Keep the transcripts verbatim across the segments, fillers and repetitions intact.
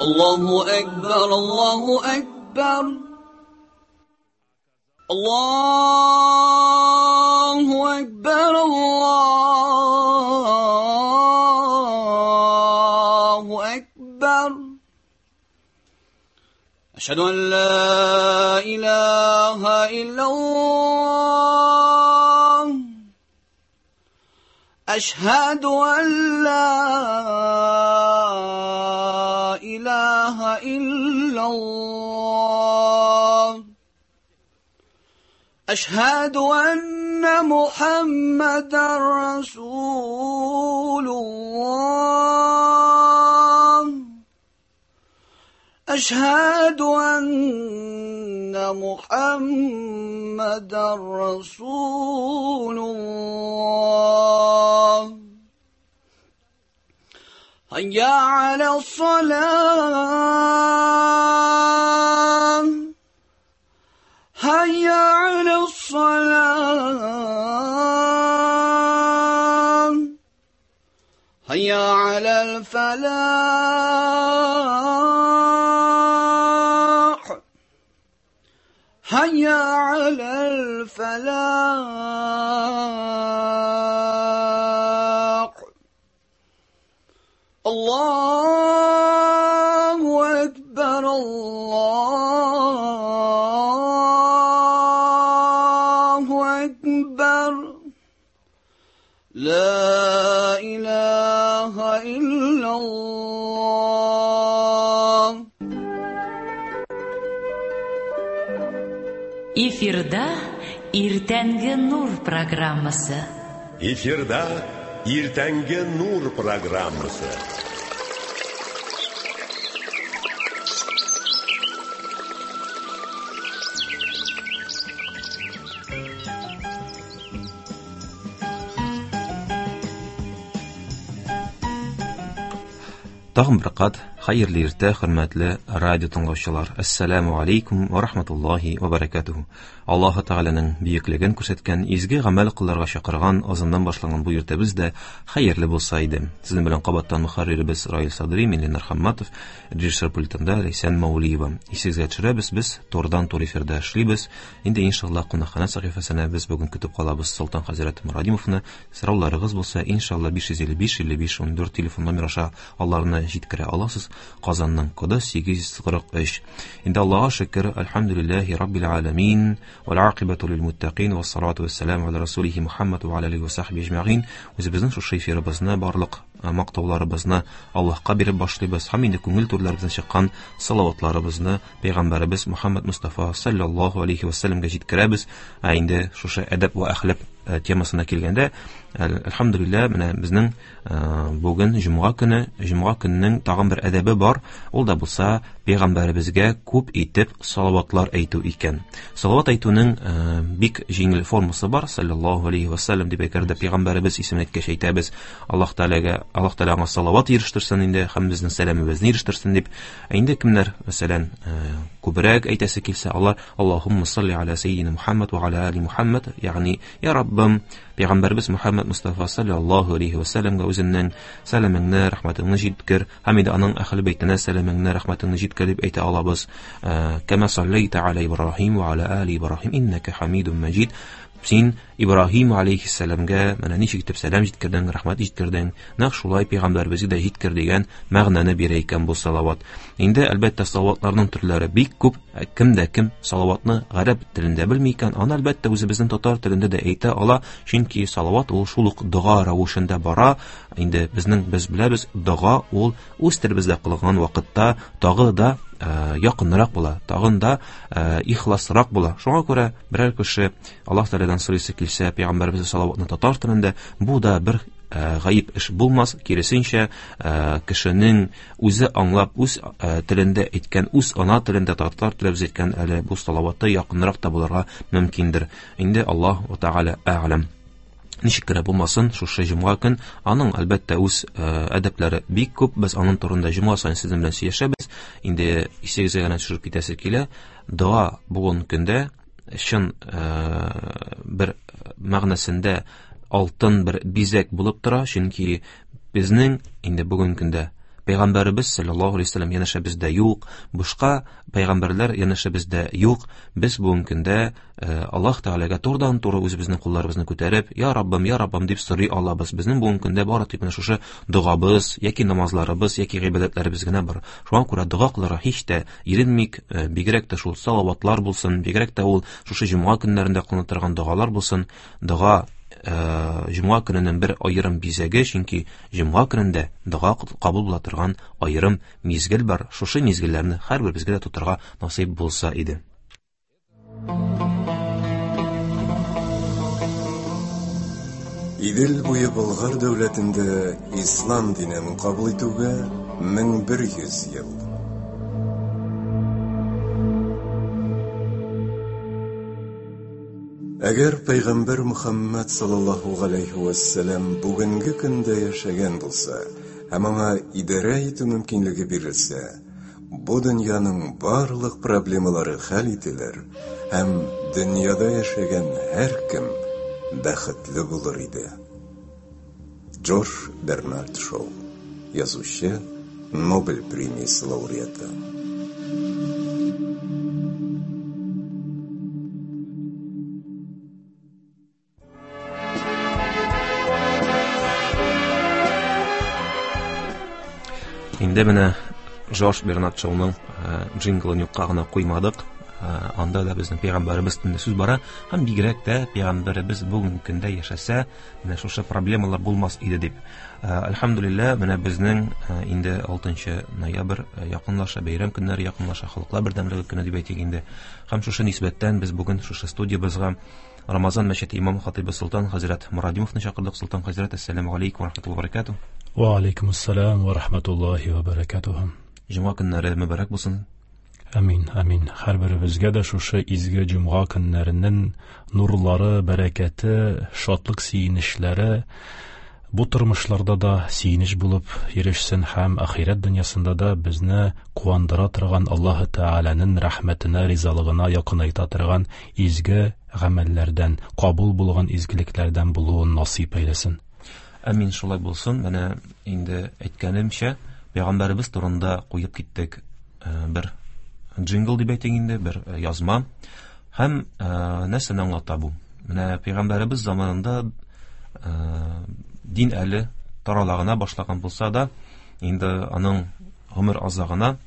الله أكبر الله أكبر الله أكبر الله أكبر أشهد أن لا إله إلا الله أشهد أن لا إله إلا الله أشهد أن محمدا رسول الله أشهد أن محمدا رسول الله هيا على الصلاة هيا على الصلاة هيا على الفلاح هيا على الفلاح الله أكبر الله أكبر لا إله إلا الله. Эфирда Иртәнге Нур программасы. Эфирда Иртәнге Нур программасы. Тагын бер кат хәерле иртә, хөрмәтле радио тыңлаучылар. Ассаламу алейкум ва рахматуллахи ва баракатуху. Аллаһ Тәгаләнең бөеклеген күрсәткән, изге гамәл кылырга чакырган азаннан башланган бу иртәбез дә хәерле булса иде. Сезнең белән кабаттан мөхәрриребез Раил Садри, мин Ленар Хамматов, режиссер пультында Ләйсән Маулиева. Исегезгә төшерәбез, без турдан тур эфирда эшлибез. Инде иншаллаһ кунакхана сәхифәсенә без бүген көтеп калабыз Солтан хәзрәт Мурадимовны. Сорауларыгыз булса, иншаллаһ биш йөз илле биш илле биш ундүрт телефон номер аша аларны җиткерә аласыз. Казанның коды сигез йөз кырык өч. Инде Аллаһка шөкер, әлхәмдүлилләһи раббил аламин, вал акыбату лил муттакин, вассалату вассаламу аля расулихи Мухаммад ва аля алихи ва сахбихи ажмаин. Үзебезнең шушы эфирыбызны, барлык мактауларыбызны Аллаһка биреп башлыйбыз һәм инде күңел түрләребездән чыккан салаватларыбызны пәйгамбәребез Мухаммад Мустафа саллаллаһу алейхи ва сәлләмгә җиткерәбез. Ә инде шушы әдәп ва әхлак темасына килгәндә, әлхәмдүлилләһ, менә безнең бүген җомга көне, җомга көненең тагын бер әдәбе бар, ул да булса пәйгамбәребезгә күп итеп салаватлар әйтү икән. Салават әйтүнең бик җиңел формасы бар, саллаллаһу алейхи ва сәлләм дип әйтергә пәйгамбәребез исемен әйткәч әйтәбез, Аллаһ Тәгаләгә, Аллаһ Тәгалә аңа салават ирештерсен инде һәм безнең сәламебезне ирештерсен дип. Ә инде кемнәр, мәсәлән, күбрәк әйтәсе килсә, алар Аллаһумма салли аля саййидина Мухаммад ва аля али Мухаммад, ягъни я Раббым, пәйгамбәребез Мухаммад Мустафа саллаллаһу алейхи ва сәлләмгә үзеңнең сәламеңне, рәхмәтеңне җиткер, һәм инде аның әһле бәйтенә сәламеңне, рәхмәтеңне җиткер дип әйтә алабыз. Кама саллайта аля Ибраһим ва аля али Ибраһим иннака хамидун маҗид. Син Ибраһим алейхиссәламгә менә ничек итеп сәлам җиткердең, рәхмәт җиткердең, нәкъ шулай пәйгамбәребезгә дә җиткер дигән мәгънәне бирә икән бу салават. Инде әлбәттә салаватларның төрләре бик күп. Кем дә кем салаватны гарәп телендә белми икән, аны әлбәттә үзебезнең татар телендә дә әйтә ала, чөнки салават ул шул ук дога рәвешендә бара. Инде безнең без беләбез, дога ул үз телебездә кылган вакытта тагы да якынрак була, тагын да ихласрак була. Шуңа күрә берәр кеше Аллаһ Тәгаләдән сорыйсы килсә, пәйгамбәребез салаватны татар телендә, бу да бер гаеп эш булмас, киресенчә, кешенең үзе аңлап, үз телендә әйткән, үз ана телендә татар телебез әйткән әле бу салаваты якынрак та булырга мөмкиндер. Инде Аллаһ Тәгалә әгъләм. Ничек кенә булмасын, шушы җомга көн аның әлбәттә үз әдәпләре бик күп. Без аның турында җомга саен сезнең белән сөйләшәбез. Инде исегезгә генә төшереп китәсе килә. Дога бүген көндә чын бер мәгънәсендә алтын бер бизәк булып тора, чөнки безнең инде бүген көндә Пәйгамбәребез саллаллаһу алейһи ва сәлләм янәшәбездә юк, башка пәйгамбәрләр янәшәбездә юк. Без бүгенге көндә Аллаһ Тәгаләгә турыдан-туры үзебезнең кулларыбызны күтәреп, "Я Раббым, я Раббым" дип сорый алабыз. Безнең бүгенге көндә бары тик менә шушы догабыз, яки намазларыбыз, яки гыйбадәтләребез генә бар. Шуңа күрә дога кылырга һич тә иренмик, бигрәк тә шул салаватлар булсын, бигрәк тә ул шушы җомга көннәрендә кылына торган догалар булсын. Дога җомга көненең бер аерым бизәге, чөнки җомга көнендә дога кабул була торган аерым мизгел бар. Шушы мизгелләрне һәрберебезгә дә тотарга насыйп булса иде. Идел буе Болгар дәүләтендә ислам динен кабул итүгә мең бер йөз ел. Әгәр Пәйгамбәр Мөхәммәд саллаллаһу галәйһи вә сәлләм бүгенге көндә яшәгән булса һәм аңа идарә итү мөмкинлеге бирелсә, бу дөньяның барлык проблемалары хәл ителер һәм дөньяда яшәгән һәркем бәхетле булыр иде. Джордж Бернард Шоу, язучы, Нобель премиясе лауреаты. Инде менә Джордж Бернард Шоуның джинглын юкка гына куймадык. Анда да безнең пәйгамбәребез турында сүз бара, һәм бигрәк тә пәйгамбәребез бүгенге көндә яшәсә, менә шушы проблемалар булмас иде дип. Әлхәмдүлилләһ, менә безнең инде алтынчы ноябрь якынлаша, бәйрәм көннәре якынлаша, халыклар бердәмлеге көне дип әйтик инде. Һәм шушы нисбәттән без бүген шушы студиябызга Рамазан мәчете имам хатибы Солтан хәзрәт Мурадимовны чакырдык. Солтан хәзрәт, әссәламү алейкум ва рахматуллаһи ва баракатуһ. Ва алейкум ассалам ва рахматуллаһи ва баракатуһ. Җомга көннәре мөбарәк булсын. Амин, амин. Һәрберебезгә дә шушы изге җомга көннәренең нурлары, бәрәкәте, шатлык сөенечләре бу тормышларда да сөенеч булып ирешсен һәм ахирәт дөньясында да безне куандыра торган Аллаһы Тәгаләнең рәхмәтенә, ризалыгына якынайта торган изге гамәлләрдән, кабул булган изгелекләрдән булуын насыйп әйләсен. Амин, шулай булсын. Менә инде әйткәнемчә, пәйгамбәребез турында куеп киттек бер джингл дип әйтик инде, бер язма. Һәм нәрсәне аңлата бу? Менә пәйгамбәребез заманында дин әле тарала гына башлаган булса да, инде аның гомер азагына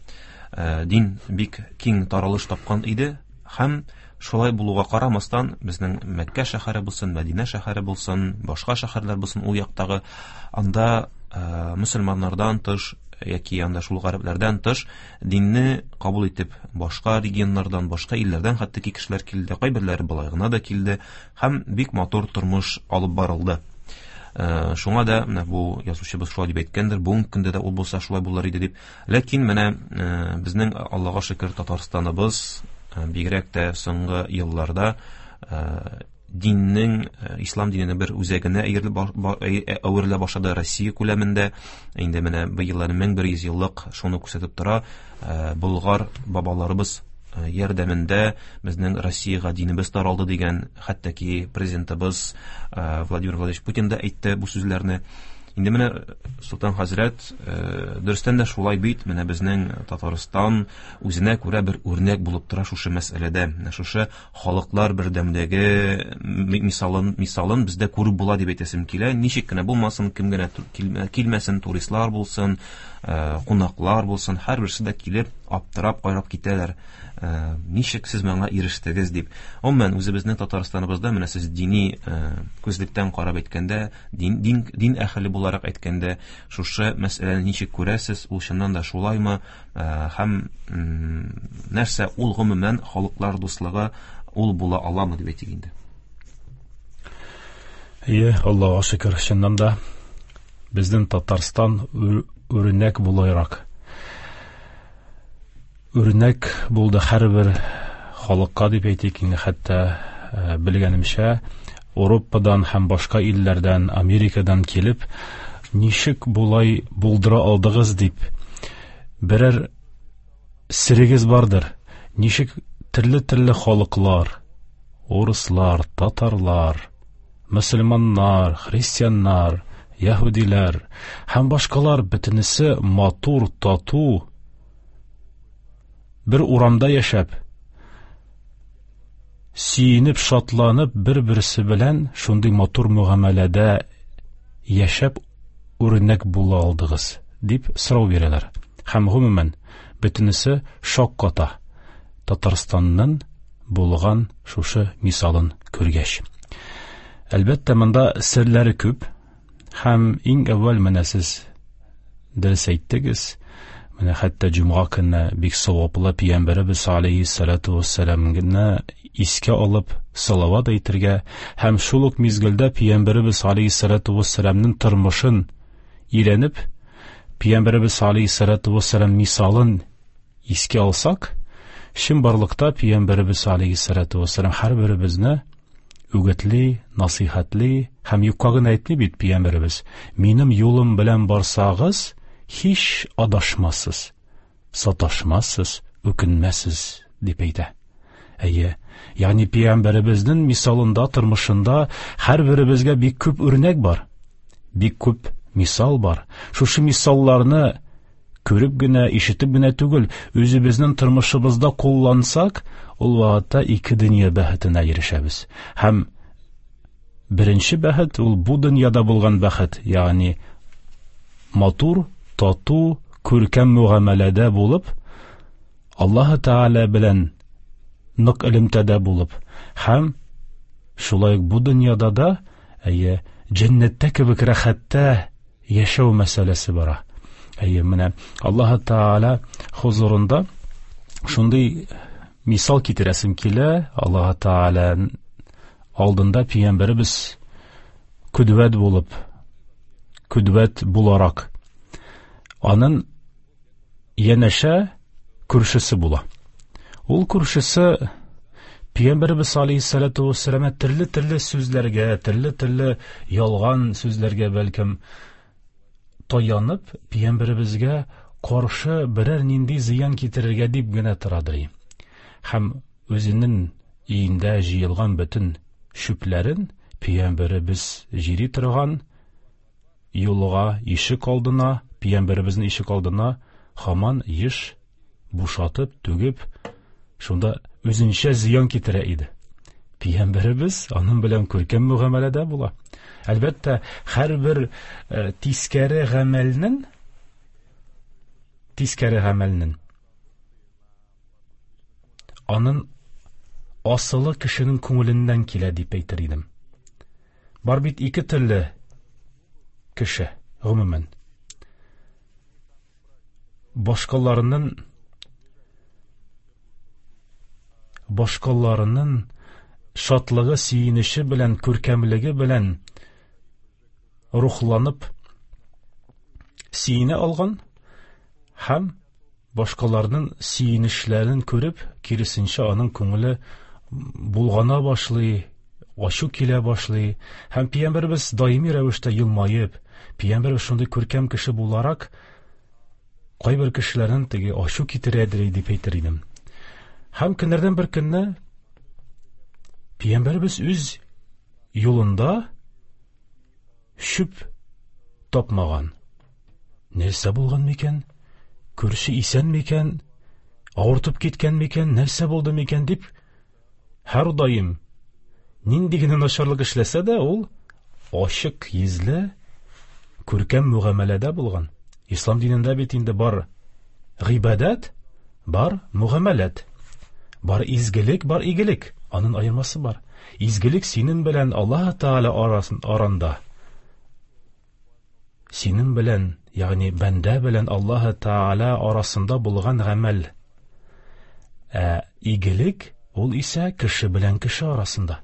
дин бик киң таралыш тапкан иде. Һәм шулай булуга карамастан, безнең Мәккә шәһәре булсын, Мәдинә шәһәре булсын, башка шәһәрләр булсын, ул яктагы анда мөселманнардан тыш яки анда шул гарәпләрдән тыш динне кабул итеп башка регионнардан, башка илләрдән хәтта ки кешеләр килде, кайберләре болай гына да килде һәм бик матур тормыш алып барылды. Шуңа да менә бу язучыбыз шулай дип әйткәндер, бүгенге көндә дә ул булса шулай булыр иде дип. Ләкин менә безнең Аллага шөкер Татарстаныбыз бигрәк тә соңгы елларда диннең, ислам диненең бер үзәгенә әверелә башлады Россия күләмендә. Инде менә быел мең бер йөз еллык шуны күрсәтеп тора. Болгар бабаларыбыз ярдәмендә безнең Россиягә динебез таралды дигән, хәтта ки президентыбыз Владимир Владимирович Путин да әйтте бу сүзләрне. Инде менә Солтан хәзрәт, дөрестән дә шулай бит, менә безнең Татарстан үзенә күрә бер үрнәк булып тора шушы мәсьәләдә. Менә шушы халыклар бердәмлеге мисалын, мисалын бездә күреп була дип әйтәсем килә. Ничек кенә булмасын, кем генә килмәсен, туристлар булсын, кунаклар булсын, һәрберсе дә килеп аптырап карап китәләр. Ничек сез моңа ирештегез дип. Гомумән, үзебезнең Татарстаныбызда менә сез дини күзлектән карап әйткәндә, дин, дин, дин әһеле буларак әйткәндә, шушы мәсьәләне ничек күрәсез, ул чыннан да шулаймы, һәм нәрсә ул гомумән халыклар дуслыгы ул була аламы дип әйтик инде. Ие, Аллаһуга шөкер, чыннан да безнең Татарстан үрнәк буларак үрнәк булды һәрбер халыкка дип әйтик инде, хәтта белгәнемчә Европадан һәм башка илләрдән, Америкадан килеп, ничек болай булдыра алдыгыз дип, берәр серегез бардыр. Ничек төрле-төрле халыклар, урыслар, татарлар, мөселманнар, христианнар, яһүдиләр һәм башкалар бөтенесе матур, тату бер урамда яшәп, сөенеп, шатланып, бер-берсе белән шундый матур мөгамәләдә яшәп үрнәк була алдыгыз, дип сорау бирәләр. Һәм гомумән бөтенесе шакката Татарстанның булган шушы мисалын күргәч. Әлбәттә, монда серләре күп, һәм иң әүвәл менә сез дөрес әйттегез, менә хәтта җомга көнне бик саваплы пәйгамбәребез алейһиссалату вассаламны искә алып салават әйтергә һәм шул ук мизгелдә пәйгамбәребез алейһиссалату вассаламның тормышын өйрәнеп, пәйгамбәребез алейһиссалату вассалам мисалын искә алсак, чынбарлыкта пәйгамбәребез алейһиссалату вассалам һәрберебезне үгетли, насыйхатли һәм юкка гына әйтми бит пәйгамбәребез: "Минем юлым белән барсагыз, һич адашмассыз, саташмассыз, үкенмәссез", дип әйтә. Әйе, ягъни пәйгамбәребезнең мисалында, тормышында һәрберебезгә бик күп үрнәк бар, бик күп мисал бар. Шушы мисалларны күреп генә, ишетеп генә түгел, үзебезнең тормышыбызда куллансак, ул вакытта ике дөнья бәхетенә ирешәбез. Һәм беренче бәхет ул бу дөньяда булган бәхет, ягъни матур, тату, күркәм мөгамәләдә булып, Аллаһы Тәгалә белән нык элемтәдә булып, һәм шулай ук бу дөньяда да, әйе, җәннәттә кебек рәхәттә яшәү мәсьәләсе бара. Әйе, менә Аллаһы Тәгалә хузурында шундый мисал китерәсем килә. Аллаһы Тәгалә алдында пәйгамбәребез көдвәт булып, көдвәт буларак, аның янәшә күршесе була. Ул күршесе пәйгамбәребез алейһиссалату вассалам төрле-төрле сүзләргә, төрле-төрле ялган сүзләргә бәлкем таянып, пәйгамбәребезгә каршы берәр нинди зыян китерергә дип генә торадыр. Һәм үзенең өендә җыелган бөтен чүпләрен пәйгамбәребез җири торган юлга, ишек алдына, пәйгамбәребезнең ишек алдына һаман еш бушатып, түгеп, шунда үзенчә зыян китерә иде. Пәйгамбәребез аның белән күркәм мөгамәләдә була. Әлбәттә, һәрбер э, тискәре гамәлнең тискәре гамәлнең аның асылы кешенең күңеленнән килә дип әйтер идем. Бар бит ике төрле кеше, гомумән. Башкаларының башкаларының шатлыгы, сөенече белән, күркәмлеге белән рухланып сөенә алган һәм башкаларның сөенечләрен күреп, киресенчә аның күңеле булгана башлый, ачу килә башлый. Һәм пәйгамбәребез даими рәвештә елмаеп, пәйгамбәребез шундый күркәм кеше буларак, кайбер кешеләрнең теге ачу китерәдер дип әйтер идем. Һәм көннәрдән бер көнне пәйгамбәребез үз юлында чүп тапмаган. Нәрсә булган микән? Күрше исән микән? Авыртып киткән микән? Нәрсә булды микән дип, һәр даим нинди генә начарлык эшләсә дә, ул ачык йөзле, күркәм мөгамәләдә булган. Ислам динендә бит инде бар гыйбадәт, бар мөгамәләт, бар изгелек, бар игелек. Аның аермасы бар. Изгелек синең белән Аллаһ Тәгалә арасын аранда. Синең белән, ягъни бәндә белән Аллаһ Тәгалә арасында булган гамәл. Ә игелек ул исә кеше белән кеше арасында.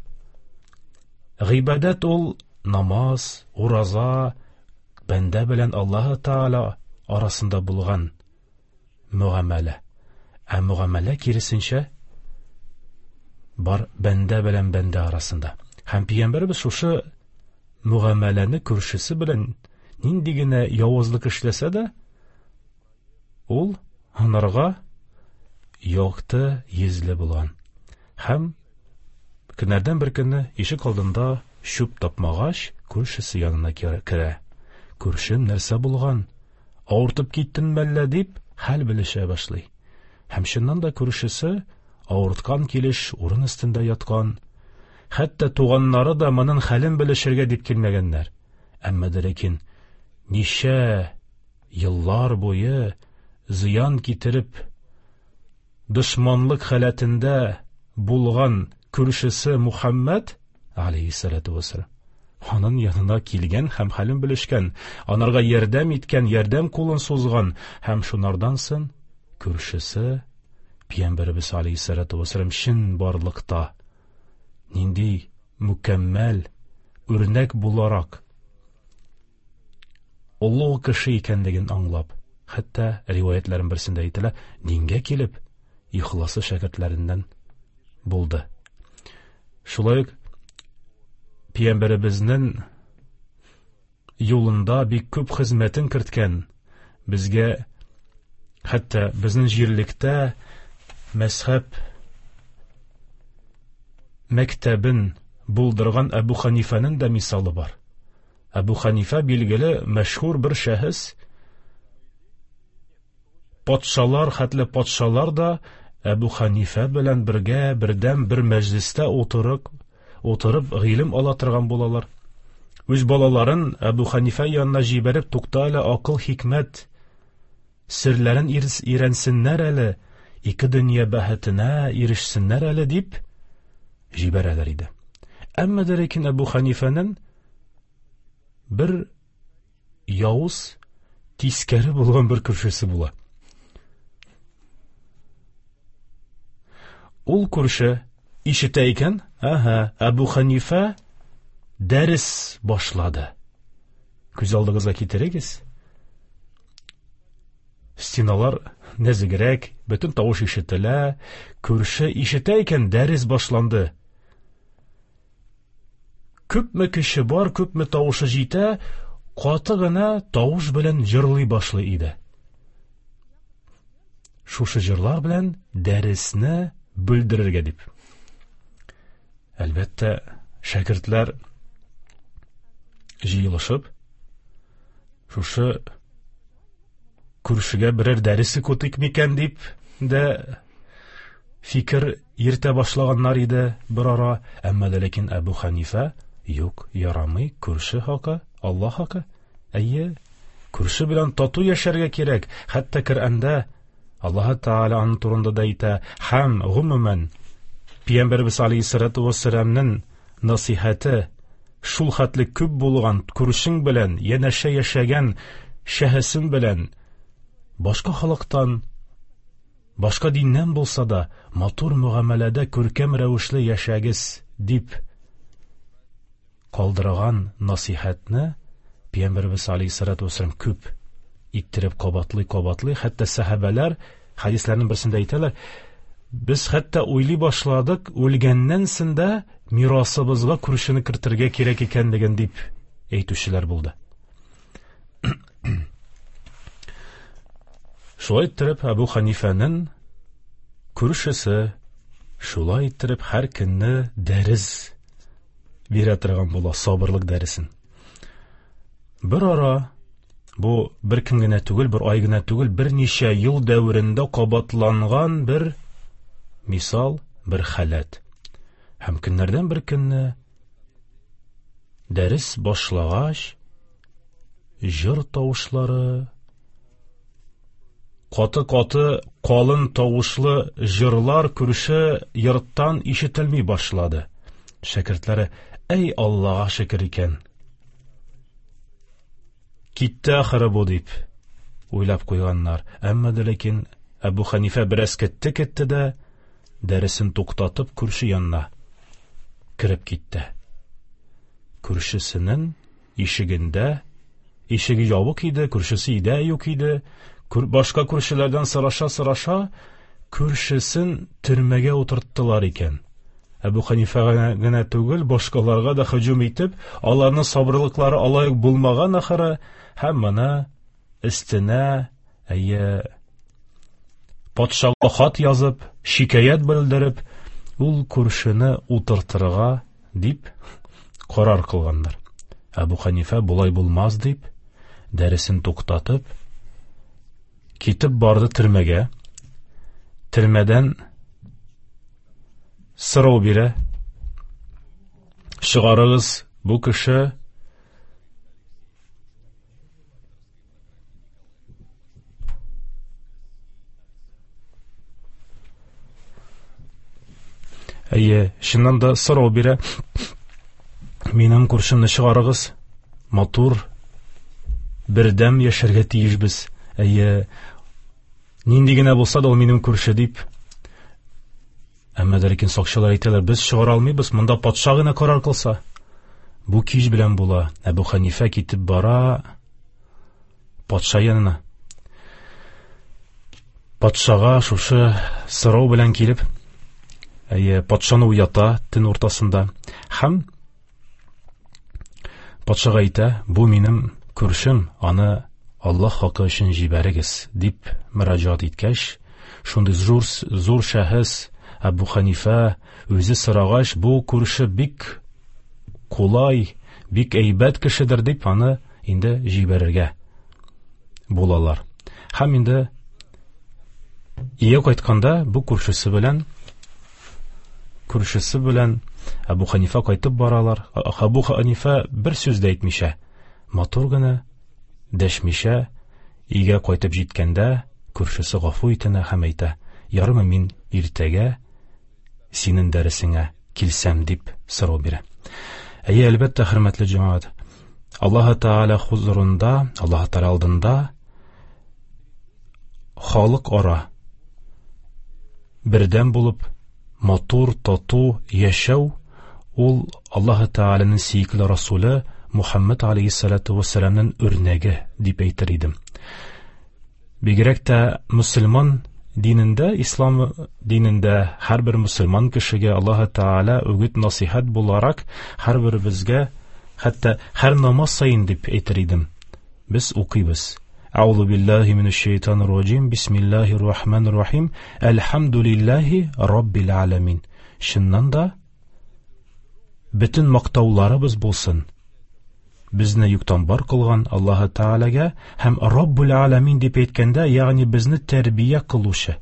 Гыйбадәт ул намаз, ураза, бәндә белән Аллаһ Тәгалә арасында булган мөгамәлә. Ә мөгамәлә киресенчә бар бәндә белән бәндә арасында. Һәм пәйгамбәребез шушы мөгамәләне күршесе белән нинди генә явызлык эшләсә дә, ул анарга якты йөзле булган. Һәм көннәрдән бер көнне ишек алдында чүп тапмагач, күршесе янына керә. Күршем, нәрсә булган? Авыртып киттең мәллә дип хәл белешә башлый. Һәм чыннан да күршесе авырткан килеш урын өстендә яткан. Хәтта туганнары да моның хәлен белешергә дип килмәгәннәр. Әмма дә ләкин ничә еллар буе зыян китереп дошманлык халәтендә булган күршесе Мухаммад алейһиссалату вассалам аның янына килгән һәм хәлен белешкән, анарга ярдәм иткән, ярдәм кулын сузган һәм шунардан соң күршесе Пәйгамбәребез алейһиссалату вассалам чын барлыкта нинди мөкәммәл үрнәк буларак олуг кеше икәнлеген аңлап, хәтта риваятларның берсендә әйтелә, дингә килеп ихласы шәкертләреннән булды. Шулай ук Пәйгамбәребезнең юлында бик күп хезмәтен керткән, безгә хәтта безнең җирлектә мәзһәб мәктәбен булдырган Әбу Ханифәнең дә мисалы бар. Әбу Ханифә билгеле мәшһүр бер шәхес. Патшалар, хәтле патшалар да Әбу Ханифә белән бергә бердәм бер мәҗлестә утырып, утырып гыйлем ала торган булалар. Үз балаларын Әбу Ханифә янына җибәреп, тукта әле, акыл, хикмәт серләрен өйрәнсеннәр әле, ике дөнья бәхетенә ирешсеннәр әле дип җибәрәләр иде. Әмма дә ләкин Әбу Ханифәнең бер явыз, тискәре булган бер күршесе була. Ул күрше ишетә икән, әһә, Әбу Ханифә дәрес башлады. Күз алдыгызга китерегез. Стеналар нәзегрәк, бөтен тавыш ишетелә. Күрше ишетә икән, дәрес башланды. Күпме кеше бар, күпме тавышы җитә, каты гына тавыш белән җырлый башлый иде. Шушы җырлар белән дәресне бүлдерергә дип. Әлбәттә, шәкертләр җыелышып, шушы күршегә берәр дәресе көтик микән дип дә фикер йөртә башлаганнар иде бер ара. Әмма дә ләкин Әбу Ханифә юк, ярамый, күрше хакы, Алла хакы. Әйе, күрше белән тату яшәргә кирәк. Хәтта Коръәндә Аллаһ Тәгалә аның турында да әйтә, һәм гомумән Пәйгамбәребез алейһиссалату вассаламның насыйхаты шул хәтле күп булган, күршең белән янәшә яшәгән шәхесең белән башка халыктан, башка диннән булса да матур мөгамәләдә күркәм рәвешле яшәгез дип калдырган насыйхатны Пәйгамбәребез алейһиссалату вассалам күп иттереп кабатлый-кабатлый, хәтта сәхабәләр хәдисләрнең берсендә әйтәләр, без хәтта уйлый башладык, үлгәннән соң да мирасыбызга күршене кертергә кирәк икәнлеген дип әйтүчеләр булды. Шулай иттереп Әбу Ханифәнең күршесе шулай иттереп һәр көнне дәрес бирә торган була, сабырлык дәресен. Бер ара, бу бер көн генә түгел, бер ай генә түгел, берничә ел дәверендә кабатланган бер мисал, бер халәт. Һәм көннәрдән бер көнне дәрес башлагач, җыр тавышлары, каты-каты калын тавышлы җырлар күрше йорттан ишетелми башлады. Шәкертләре, әй Аллаһка шөкер икән, китте ахыры бу дип уйлап куйганнар. Әмма дә ләкин Әбу Ханифә бераз кетте-кетте дә дәресен туктатып күрше янына кереп китте. Күршесенең ишегендә, ишеге ябык иде, күршесе өйдә юк иде. Башка күршеләрдән сораша-сораша күршесен төрмәгә утырттылар икән. Әбу Ханифәгә генә түгел, башкаларга да һөҗүм итеп, аларның сабырлыклары алай ук булмаган ахыры, һәм моны өстенә, әйе, патшага хат язып, шикаять белдереп, ул күршене утыртырга дип карар кылганнар. Әбу Ханифә болай булмас дип, дәресен туктатып, китеп барды төрмәгә. Төрмәдән сорау бирә: чыгарыгыз, бу кеше Әйе, чыннан да сорау бирә: минем күршемне чыгарыгыз, матур, бердәм яшәргә тиешбез. Әйе, нинди генә булса да ул минем күрше дип. Әмма дә ләкин сакчылар әйтәләр: без чыгара алмыйбыз, монда патша гына карар кылса. Бу кич белән була. Әбу Ханифә китеп бара патша янына. Патшага шушы сорау белән килеп, әйе, патшаны уята төн уртасында. Һәм патшага әйтә: бу минем күршем, аны Аллаһ хакы өчен җибәрегез, дип мөрәҗәгать иткәч, шундый зур, зур шәхес Әбу Ханифә үзе сорагач, бу күрше бик кулай, бик әйбәт кешедер дип аны инде җибәрергә булалар. Һәм инде өйгә кайтканда бу күршесе белән күршесе белән Әбу Ханифә кайтып баралар. Әбу Ханифә бер сүз дә әйтмичә, матур гына дәшмичә өйгә кайтып җиткәндә күршесе гафу итенә һәм әйтә: ярымы мин иртәгә синең дәресеңә килсәм, дип сорау бирә. Әйе, әлбәттә, хөрмәтле җәмәгать, Аллаһ Тәгалә хузурында, Аллаһ Тәгалә алдында халык ара бердәм булып, матур, тату яшәү ул Аллаһ Тәгаләнең сөекле Расулы Мухаммад алейһиссалату вассаламның үрнәге дип әйтер идем. Бигрәк тә мөселман динендә, ислам динендә һәрбер мөселман кешегә Аллаһ Тәгалә үгет насыйхат буларак һәрберебезгә, хәтта һәр намаз саен дип әйтер идем, без укыйбыз. Әгъузу биллаһи минәш шайтанир раҗим, бисмиллаһир рахманир рахим, әлхәмдүлиллаһи раббил аламин. Чыннан да бөтен мактауларыбыз булсын безне юктан бар кылган Аллаһ Тәгаләгә һәм Раббул Аламин дип әйткәндә, ягъни безне тәрбия кылучы.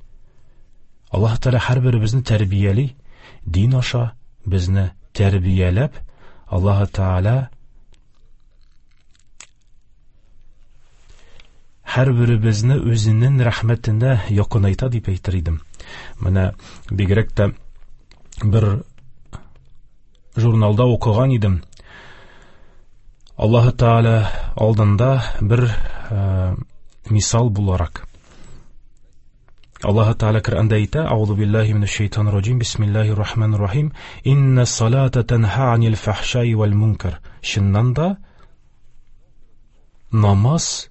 Аллаһ Тәгалә һәрберебезне тәрбияли, дин аша безне тәрбияләп, Аллаһ Тәгалә һәрберебезне үзенең рәхмәтенә якынайта дип әйтер идем. Менә бигрәк тә бер журналда укыган идем. Аллаһ Тәгалә алдында бер э, мисал буларак. Аллаһ Тәгалә Коръәндә әйтә: Әгъузу биллаһи минәш шайтанир раҗим, бисмиллаһир рахманир рахим, инна салата танһа анил фахшаи вал мункар. Чыннан да намаз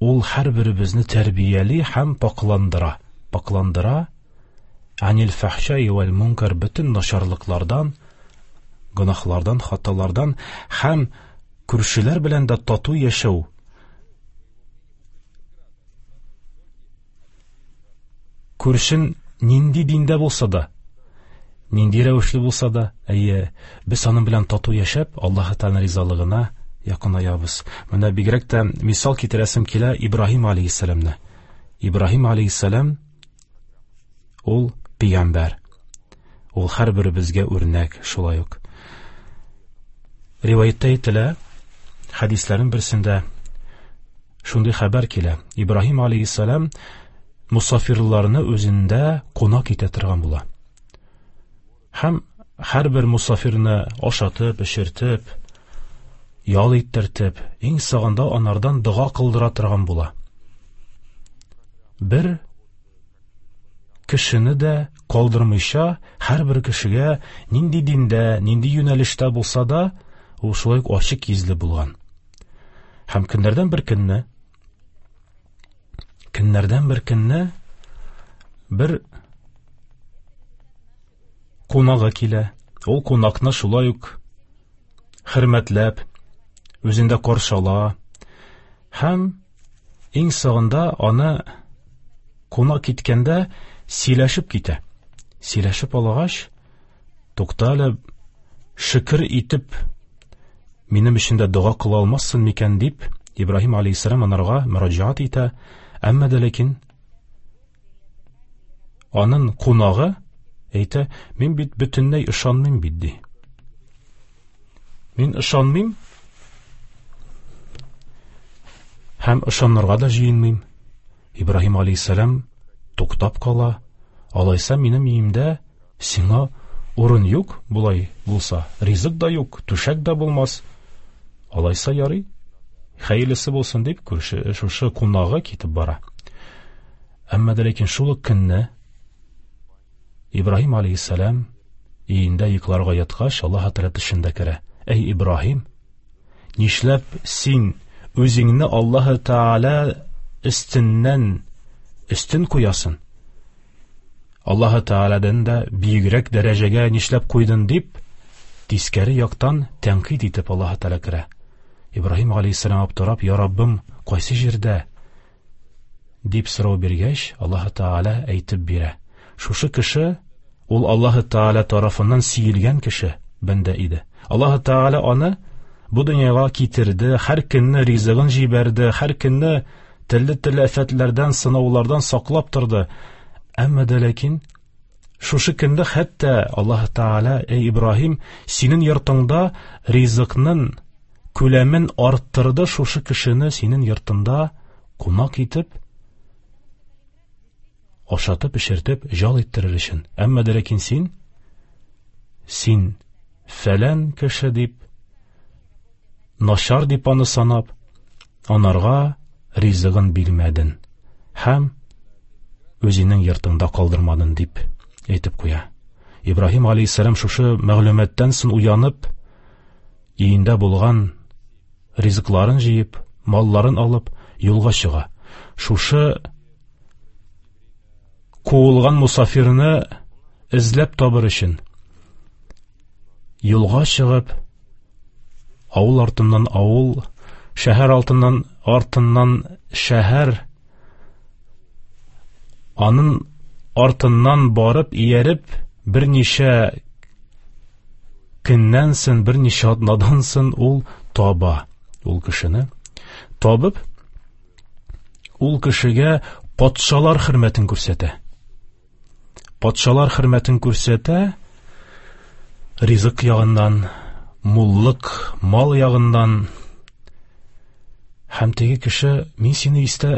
ул һәрберебезне тәрбияли һәм пакландыра. Пакландыра анил фахшаи вал мункар, бөтен начарлыклардан, гөнаһлардан, хаталардан һәм күршеләр белән дә тату яшәү. Күршен нинди диндә булса да, нинди рәвешле булса да, әйе, без аның белән тату яшәп, Аллаһ Тәгалә ризалыгына якынаябыз. Менә бигрәк тә мисал китерәсем килә Ибраһим алейһиссәламны. Ибраһим алейһиссәлам ул пәйгамбәр. Ул һәрберебезгә үрнәк шулай ук. Риваятта әйтелә, хәдисләрнең берсендә шундый хәбәр килә. Ибраһим алейһиссәлам мусафирларны үзендә кунак итә торган була. Һәм һәрбер мусафирны ашатып, эчертеп, ял иттертеп, иң соңында анардан дога кылдыра торган була. Бер кешене дә калдырмыйча, һәрбер кешегә нинди диндә, нинди юнәлештә булса да, ул шулай ук ачык йөзле булган. Һәм көннәрдән бер көнне, көннәрдән бер көнне бер кунагы килә. Ул кунакны шулай ук хөрмәтләп, үзендә каршы ала. Һәм иң соңында аны кунак киткәндә сөйләшеп китә. Сөйләшеп алгач, тукта әле, шөкер итеп, минем өчен дә дога кыла алмассың микән дип Ибраһим алейһиссәлам анарга мөрәҗәгать итә, әмма дә ләкин аның кунагы әйтә, мин бит бөтенләй ышанмыйм бит, ди. Мин ышанмыйм һәм ышанырга да җыенмыйм. Ибраһим алейһиссәлам туктап кала. Алайса минем өемдә сиңа урын юк, болай булса, ризык да юк, түшәк дә булмас. Алайса ярый, хәерлесе булсын дип, күрше шушы кунагы китеп бара. Әмма дә ләкин шул ук көнне Ибраһим алейһиссәлам өендә йокларга яткач, Аллаһ Тәгалә төшендә керә. Әй Ибраһим, нишләп син үзеңне Аллаһ Тәгалә өстеннән өстен куясың? Аллаһ Тәгаләдән дә биегрәк дәрәҗәгә нишләп куйдың дип, тискәре яктан тәнкыйть итеп Аллаһ Тәгалә керә. Ибраһим алейһиссәлам аптырап, я Раббым, кайсы җирдә? Дип сорау биргәч, Аллаһ Тәгалә әйтеп бирә. Шушы кеше ул Аллаһ Тәгалә тарафыннан сөелгән кеше, бәндә иде. Аллаһ Тәгалә аны бу дөньяга китерде, һәр көнне ризыгын җибәрде, һәр көнне төрле-төрле афәтләрдән, сынаулардан саклап торды. Әмма дә ләкин шушы көндә хәтта Аллаһ Тәгалә, эй Ибраһим, синең йортыңда ризыкның күләмен арттырды, шушы кешене синең йортыңда кунак итеп, ашатып, эчертеп, жал иттерер өчен. Әмма дә ләкин син, син фәлән кеше дип, начар дип аны санап, анарга ризыгын бирмәдең һәм үзеңнең йортыңда калдырмадың дип әйтеп куя. Ибраһим алейһиссәлам шушы мәгълүматтан соң уянып, өендә булган ризыкларын җыеп, малларын алып, юлга чыга. Шушы куылган мусафирны эзләп табыр өчен юлга чыгып, авыл артыннан авыл, шәһәр артыннан артыннан шәһәр, аның артыннан барып ияреп, берничә көннән соң, берничә атнадан соң ул таба ул кешене. Табып, ул кешегә патшалар хөрмәтен күрсәтә. Патшалар хөрмәтен күрсәтә, ризык ягыннан, муллык, мал ягыннан. Һәм теге кеше, мин сине истә,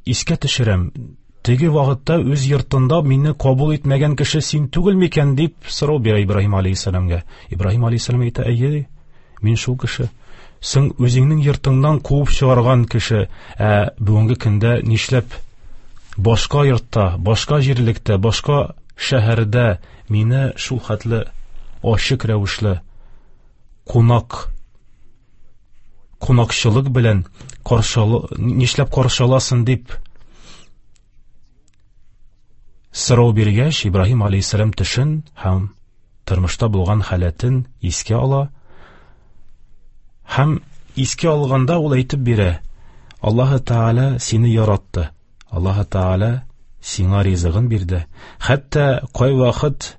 искә төшерәм, теге вакытта үз йортында мине кабул итмәгән кеше син түгел микән дип сорау бирә Ибраһим алейһиссәламгә. Ибраһим алейһиссәлам әйтә, әйе, мин шул кеше. Син үзеңнең йортыңнан куып чыгарган кеше, ә бүгенге көндә нишләп башка йортта, башка җирлектә, башка шәһәрдә мине шул хәтле ачык рәвешле кунак, кунакчылык белән каршы, нишләп каршы аласың дип сорау биргәч, Ибраһим алейһиссәлам төшен һәм тормышта булган халәтен искә ала. Һәм искә алганда ул әйтеп бирә: Аллаһ Тәгалә сине яратты, Аллаһ Тәгалә сиңа ризыгын бирде. Хәтта кайвакыт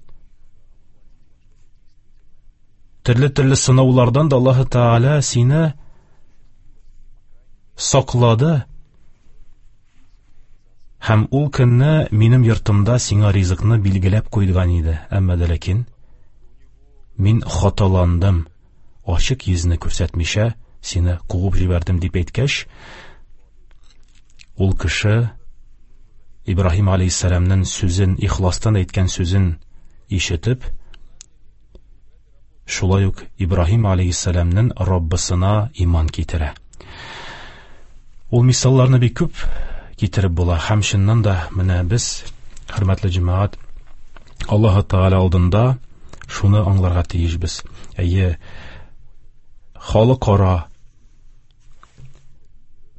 төрле-төрле сынаулардан да Аллаһ Тәгалә сине саклады. Һәм ул көнне минем йортымда сиңа ризыкны билгеләп куйган иде. Әмма дә ләкин мин хаталандым, ачык йөзне күрсәтмичә сине куып җибәрдем дип әйткәч, ул кеше Ибраһим алейһиссәламның сүзен, ихластан әйткән сүзен ишетеп, шулай ук Ибраһим алейһиссәламның Раббысына иман китерә. Ул мисалларны бик күп китереп була. Һәм чыннан да менә без, хөрмәтле җәмәгать, Аллаһ Тәгалә алдында шуны аңларга тиешбез. Әйе, халыкара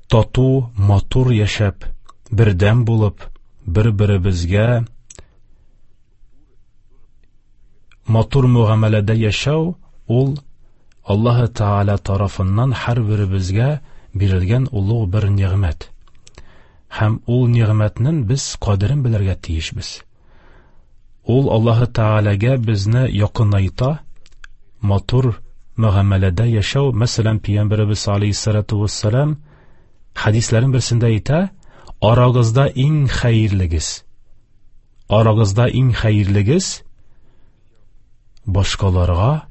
тату, матур яшәп, бердәм булып, бер-беребезгә матур мөгамәләдә яшәү ул Аллаһ Тәгалә тарафыннан һәрберебезгә бирелгән олуг бер нигъмәт. Һәм ул нигъмәтнең без кадерен белергә тиешбез. Ул Аллаһ Тәгаләгә безне якынайта, матур мөгамәләдә яшәү. Мәсәлән, Пәйгамбәребез алейһиссалату вассалам Хәдисләрнең берсендә әйтә, арагызда иң хәерлегез, арагызда иң хәерлегез башкаларга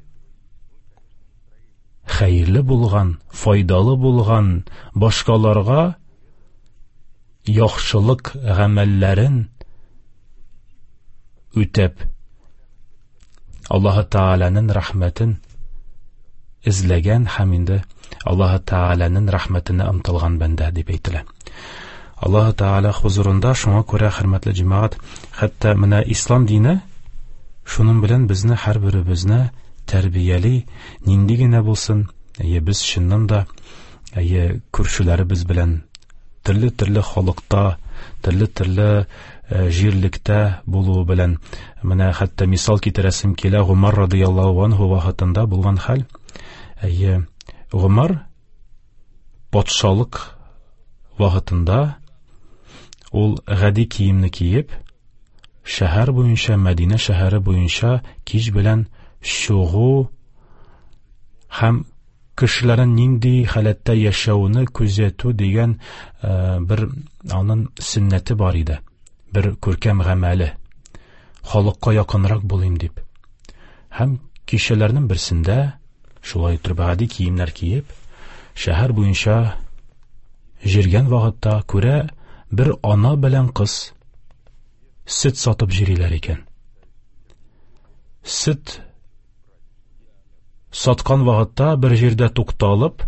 хәерле булган, файдалы булган, башкаларга яхшылык гамәлләрен үтәп, Аллаһы Тәгаләнең рәхмәтен эзләгән һәм инде Аллаһы Тәгаләнең рәхмәтенә омтылган бәндә дип әйтелә. Аллаһы Тәгалә хузурында шуңа күрә, хөрмәтле җәмәгать, хәтта менә ислам дине шуның белән безне һәрберебезне тәрбияли, нинди генә булсын, әйе, без чыннан да, әйе, күршеләребез белән төрле-төрле халыкта, төрле-төрле җирлектә булуы белән, менә хәтта мисал китерәсем килә, Гомар радыяллаһу анһу вакытында булган хәл. Әйе, Гомар патшалык вакытында ул гади киемне киеп, шәһәр буенча, Мәдинә шәһәре буенча кич белән чыгу һәм кешеләрнең нинди халәттә яшәвен күзәтү дигән бер аның сөннәте бар иде, бер күркәм гамәле, халыкка якынрак булыйм дип. Һәм кичәләрнең берсендә шулай итеп гади киемнәр киеп, шәһәр буенча җиргән вакытта күрә бер ана белән кыз сөт сатып җириләр икән. Сөт саткан вакытта бер җирдә тукталып,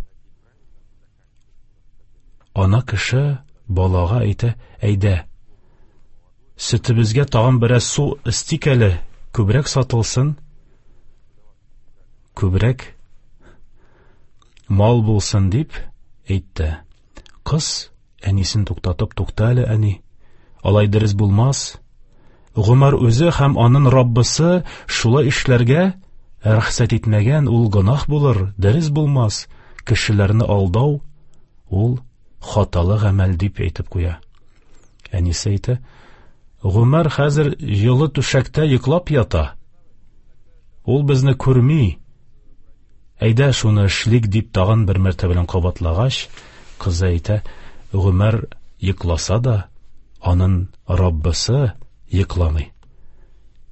ана кеше балага әйтә: "Әйдә, сөтебезгә тагын бераз су өстик әле, күбрәк сатылсын, күбрәк мал булсын", дип әйтте. Кыз әнисен туктатып: "Тукта әле, әни, алай дөрес булмас. Гомар үзе һәм аның Раббысы шулай эшләргә рөхсәт итмәгән, ул гөнаһ булыр, дөрес булмас. Кешеләрне алдау ул хаталы гамәл", дип әйтеп куя. Әнисе әйтә: "Гомар хәзер җылы түшәктә йоклап ята. Ул безне күрми. Әйдә шуны эшлик", дип тагын бер мәртәбә белән кабатлагач, кызы әйтә: "Гомар йокласа да, аның Раббысы йокламый.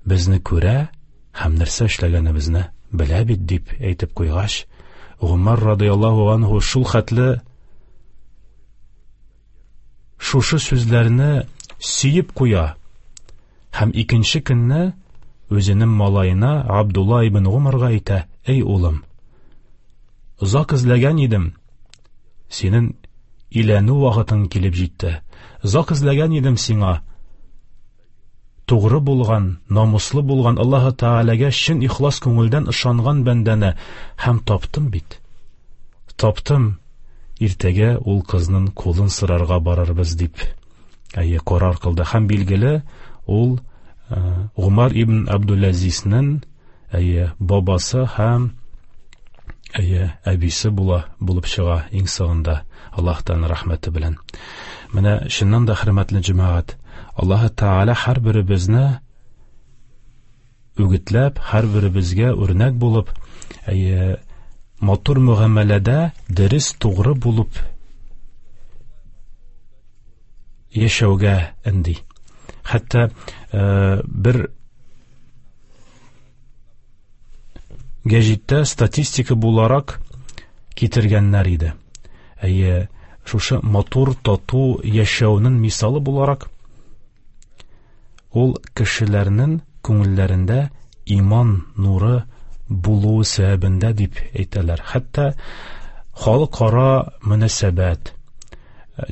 Безне күрә һәм нәрсә эшләгәнебезне белә бит", дип әйтеп куйгач, Гомар радыяллаһу анһу шул хәтле шушы сүзләрне сөеп куя һәм икенче көнне үзенең малаена Абдулла ибн Гомарга әйтә: "Эй улым, озак эзләгән идем, синең иләнү вакытың килеп җитте. Озак эзләгән идем сиңа тугры булган, намуслы булган, Аллаһы Тәгаләгә чын ихлас күңелдән ышанган бәндәне, һәм таптым бит. Таптым. Иртәгә ул кызның кулын сорарга барырбыз", дип әйе карар кылды. Һәм билгеле, ул Гомар ибн Абдулазизнең әйе бабасы һәм әйе әбисе була булып чыга иң соңында, Аллаһтан рәхмәте белән. Менә чыннан да, хөрмәтле җәмәгать, Аллаһы Тәгалә һәрберебезне үгетләп, һәрберебезгә үрнәк булып, әйе матур мөгамәләдә дөрес, тугры булып яшәүгә өнди. Хәтта бер гәҗиттә статистика буларак китергәннәр иде. Әйе, шушы матур, тату яшәүнең мисалы буларак, ул кешеләрнең күңелләрендә иман нуры булуы сәбәбендә дип әйтәләр. Хәтта халыкара мөнәсәбәт,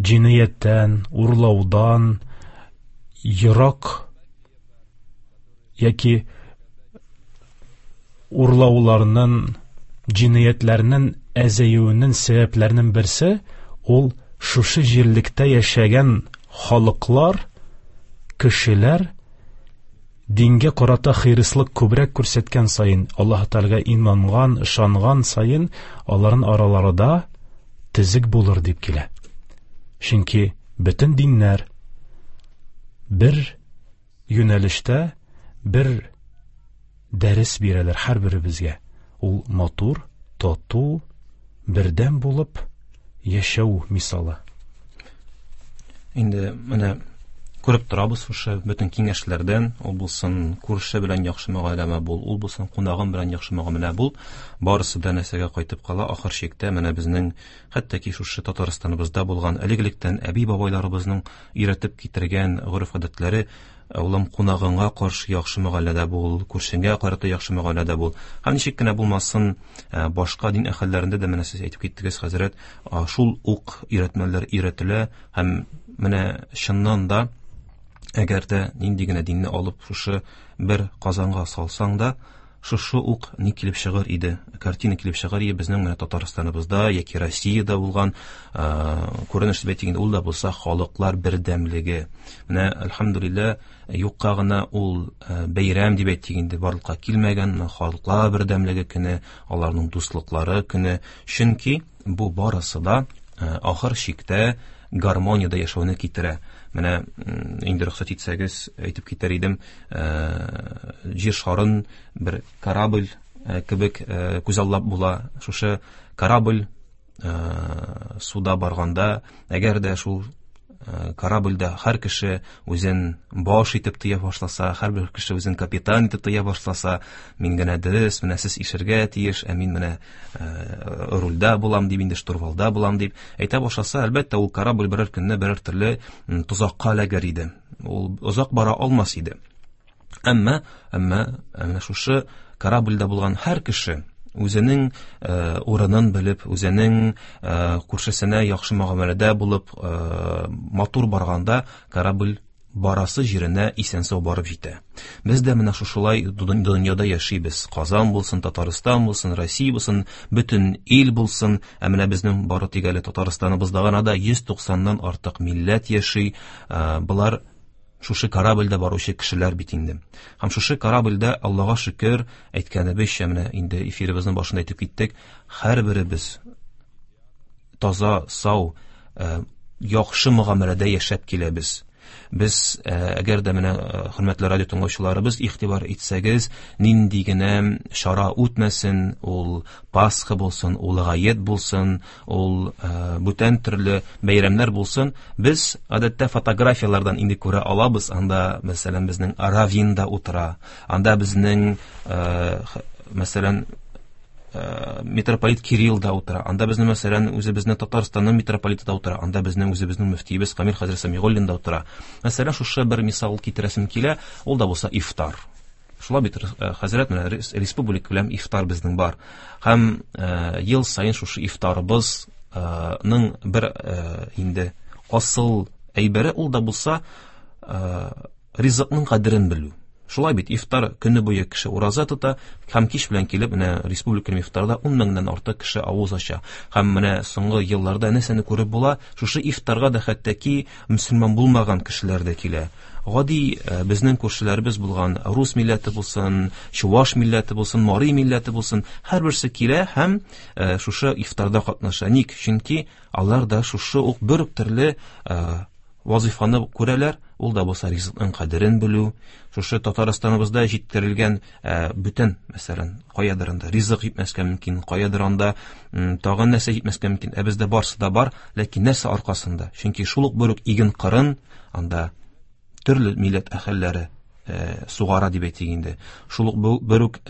җинаяттән, урлаудан ерак яки урлауларның, җинаятларның әзәюенең сәбәпләренең берсе ул шушы җирлектә яшәгән халыклар, кешеләр дингә карата хирыслык күбрәк күрсәткән саен, Аллаһ Тәгаләгә инанган, ышанган саен, аларның араларында төзек булыр дип килә. Чөнки бөтен диннәр бер юнәлештә бер дәрес бирәләр һәрберебезгә. Ул матур, тату, бердәм булып яшәү мисалы. Инде менә күреп торабыз шушы бөтен киңәшләрдән, ул булсын күрше белән яхшы мөгамәлә бул, ул булсын кунагың белән яхшы мөгамәлә бул, барысы да нәрсәгә кайтып кала ахыр чиктә. Менә безнең хәтта ки шушы Татарстаныбызда булган элек-электән әби-бабайларыбызның өйрәтеп китергән гореф-гадәтләре: улым, кунагыңа каршы яхшы мөгамәләдә бул, күршеңә карата яхшы мөгамәләдә бул. Һәм ничек кенә булмасын, башка дин әһелләрендә дә менә сез әйтеп киттегез, хәзрәт, шул ук өйрәтмәләр өйрәтелә. Һәм менә чыннан да, әгәр дә нинди генә динне алып шушы бер казанга салсаң да, шушы ук ни килеп чыгыр иде, картина килеп чыгыр иде безнең менә Татарстаныбызда яки Россиядә булган күренеш дип әйтик инде, ул да булса халыклар бердәмлеге. Менә әлхәмдүлилләһ, юкка гына ул бәйрәм дип әйтик инде барлыкка килмәгән, халыклар бердәмлеге көне, аларның дуслыклары көне. Чөнки бу барысы да ахыр чиктә гармониядә яшәүне китерә. Менә инде рөхсәт итсәгез әйтеп китәр идем, җир шарын бер корабль кебек күзаллап була. Шушы корабль суда барганда, әгәр дә шул корабльдә һәр кеше үзен баш итеп тоя башласа, һәрбер кеше үзен капитан итеп тоя башласа, мин генә дөрес, менә сез ишергә тиеш, ә мин менә рульдә булам дип, инде штурвалда булам дип әйтә башласа, әлбәттә, ул корабль берәр көнне берәр төрле тозакка эләгер иде. Ул озак бара алмас иде. Әмма, әмма менә шушы корабльдә булган һәр кеше үзенең урынын белеп, үзенең күршесенә яхшы мөгамәләдә булып, матур барганда корабль барасы җиренә исән-сау барып җитә. Без дә менә шушылай дөньяда яшибез. Казан булсын, Татарстан булсын, Россия булсын, бөтен ил булсын. Ә менә безнең бары тик әле Татарстаныбызда гына да йөз туксаннан артык милләт яши. Болар шушы корабльдә баручы кешеләр бит инде. Һәм шушы корабльдә, Аллага шөкер, әйткәнебезчә, менә инде эфирыбызның башында әйтеп киттек, һәрберебез таза, сау, яхшы мөгамәләдә яшәп киләбез. Без, әгәр дә менә хөрмәтле радио тыңлаучыларыбыз игътибар итсәгез, нинди генә чара үтмәсен, ул Пасха булсын, ул Гает булсын, ул бүтән төрле бәйрәмнәр булсын, без гадәттә фотографияләрдән инде күрә алабыз. Анда, мәсәлән, безнең Равин да утыра, анда безнең, мәсәлән, митрополит Кирилл да утыра, анда безнең, мәсәлән, үзебезнең Татарстанның митрополиты да утыра, анда безнең үзебезнең мөфтиебез Камил хәзрәт Сәмигуллин да утыра. Мәсәлән, шушы бер мисал китерәсем килә, ул да булса ифтар. Шулай бит, хәзрәт, менә республика белән ифтар безнең бар. Һәм ел саен шушы ифтарыбызның бер инде асыл әйбере, ул да булса ризыкның кадерен белү. Шулай бит, ифтар көне буе кеше ураза тота, һәм кич белән килеп, менә республика ифтарда ун меңнән артык кеше авыз ача. Һәм менә соңгы елларда нәрсәне күреп була, шушы ифтарга да хәтта ки мөселман булмаган кешеләр дә килә. Гади безнең күршеләребез булган рус милләте булсын, чуваш милләте булсын, мари милләте булсын, һәрберсе килә һәм шушы ифтарда катнаша. Ник? Чөнки алар да шушы ук бер үк төрле вазифаны күрәләр, ул да булса ризыкның кадерен белү. Шушы Татарстаныбызда җиткерелгән бүтән, мәсәлән, каядыр анда ризык җитмәскә мөмкин, каядыр анда тагын нәрсә җитмәскә мөмкин. Ә бездә барсы да бар, ләкин нәрсә аркасында? Чөнки шул ук бер үк иген кырын анда төрле милләт әһелләре сугара дип әйтик инде. Шул ук бер үк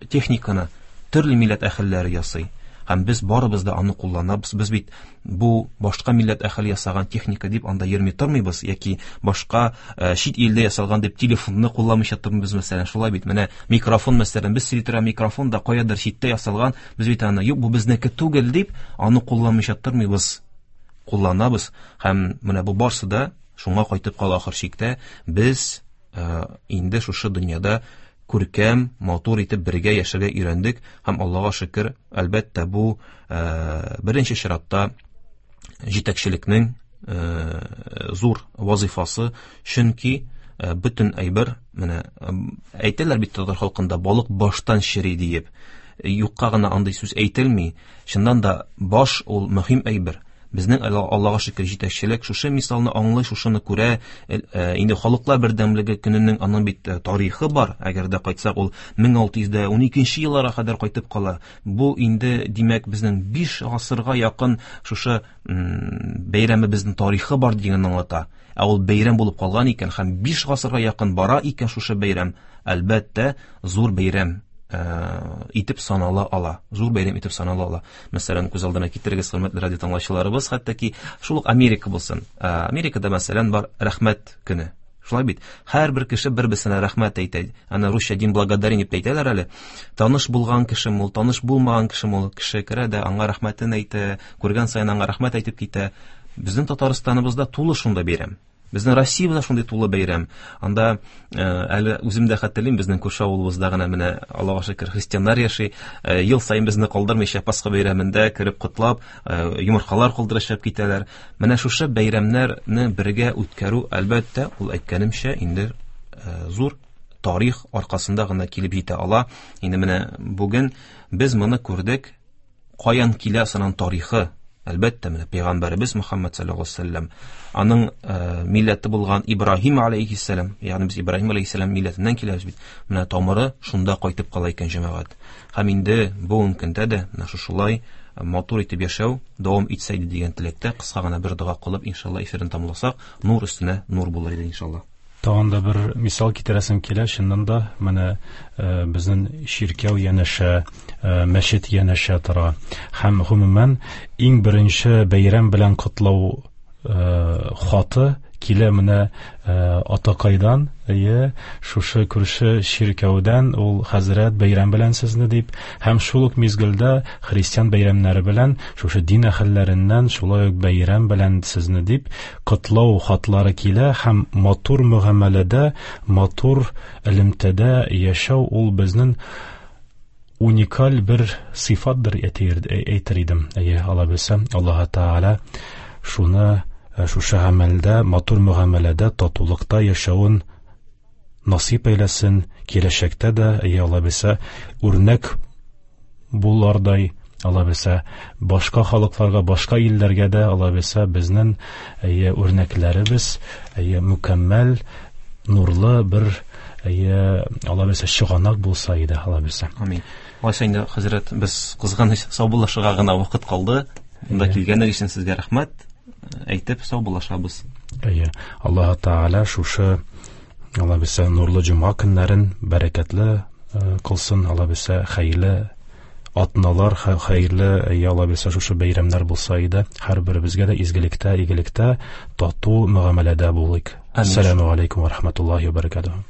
техниканы төрле милләт әһелләре ясый. Һәм без барыбыз да аны кулланабыз. Без бит бу башка милләт әһеле ясаган техника дип анда йөрми тормыйбыз, яки башка чит илдә ясалган дип телефонны кулланмыйча тормыйбыз, мәсәлән. Шулай бит, менә микрофон, мәсәлән, без сөйли торган микрофон да каядыр читтә ясалган, без бит аны юк, бу безнеке түгел дип аны кулланмыйча тормыйбыз, кулланабыз. Һәм менә бу барсы да шуңа кайтып кала ахыр чиктә. Без инде шушы дөньяда күркәм, матур итеп бергә яшәргә өйрәндек һәм Аллага шөкер, әлбәттә, бу беренче чиратта җитәкчелекнең зур вазифасы, чөнки бөтен әйбер, менә әйтәләр бит татар халкында, балык баштан чери диеп. Юкка гына андый сүз әйтелми. Чыннан да баш ул мөһим әйбер. Безнең Аллага шөкер җитәкчелек шушы мисалны аңлый, шушыны күрә. Инде халыклар бердәмлеге көненең аның бит тарихы бар. Әгәр дә кайтсак, ул мең алты йөз дә уникенче елларга кадәр кайтып кала. Бу инде, димәк, безнең биш гасырга якын шушы бәйрәмебезнең тарихы бар дигәнне аңлата. Ә ул бәйрәм булып калган икән һәм биш гасырга якын бара икән шушы бәйрәм, әлбәттә, зур бәйрәм итеп санала ала. Зур бәйрәм итеп санала ала. Мәсәлән, күз алдына китерегез, хөрмәтле радио тыңлаучыларыбыз, хәтта ки шул ук Америка булсын. Америкада, мәсәлән, бар рәхмәт көне. Шулай бит. Һәрбер кеше бер-берсенә рәхмәт әйтә. Аны русча дин благодарение дип әйтәләр әле. Таныш булган кешем ул, таныш булмаган кешем ул, кеше керә дә аңа рәхмәтен әйтә, күргән саен аңа рәхмәт әйтеп китә. Безнең Татарстаныбызда тулы шунда бәйрәм. Безнең Россиябездә шундый тулы бәйрәм. Анда әле үзем дә хәтерлим, безнең күрше авылыбызда гына менә Аллага шөкер христианнар яши. Ел саен безне калдырмыйча Пасха бәйрәмендә кереп котлап, йомыркалар калдырышып китәләр. Менә шушы бәйрәмнәрне бергә үткәрү, әлбәттә, ул әйткәнемчә, инде зур тарих аркасында гына килеп җитә ала. Инде менә бүген без моны күрдек. Каян килә соның тарихы? Әлбәттә, менә Пәйгамбәребез Мөхәммәд саллаллаһу алейһи ва сәлләм, аның милләте булган Ибраһим алейһиссәлам, ягъни без Ибраһим алейһиссәлам милләтеннән киләбез бит. Менә тамыры шунда кайтып кала икән, җәмәгать. Һәм инде бүгенге көндә дә менә шушылай матур итеп яшәү дәвам итсә иде дигән теләктә кыска гына бер дога кылып, иншалла, эфирын тамамласак, нур өстенә нур булыр иде, иншалла. Тагын да бер мисал китерәсем килә, чыннан да менә безнең чиркәү янәшә, мәчет янәшә тора. Һәм гомумән иң беренче бәйрәм белән котлау хаты килә менә атакайдан, әйе, шушы күрше чиркәүдән, ул хәзрәт бәйрәм белән сезне дип, һәм шул ук мизгелдә христиан бәйрәмнәре белән шушы дин әһелләреннән шулай ук бәйрәм белән сезне дип котлау хатлары килә. Һәм матур мөгамәләдә, матур элемтәдә яшәү ул безнең уникаль бер сыйфатдыр әйтер идем. Әйе, Алла белсә, Аллаһ Тәгалә шуны шушы гамәлдә, матур мөгамәләдә, татулыкта яшәвен насыйп әйләсен, киләчәктә дә, әйе, Алла белсә, үрнәк булардай, Алла белсә, башка халыкларга, башка илләргә дә, Алла белсә, безнең, әйе, үрнәкләребез, әйе, мөкәммәл, нурлы бер, әйе, Алла белсә, чыганак булса иде, Алла белсә. Амин. Алайса инде, хәзрәт, без кызганыч саубуллашырга гына вакыт калды. Монда килгәнегез өчен сезгә рәхмәт әйтеп саубуллашабыз. Әйе, Аллаһ Тәгалә шушы, Алла белсә, нурлы җомга көннәрен бәрәкәтле кылсын, Алла белсә, хәерле атналар, хәерле, әйе, Алла белсә, шушы бәйрәмнәр булса иде, һәрберебезгә дә изгелектә, игелектә, тату мөгамәләдә булыйк. Ассаламу алейкум ва рахматуллахи ва баракатуһ.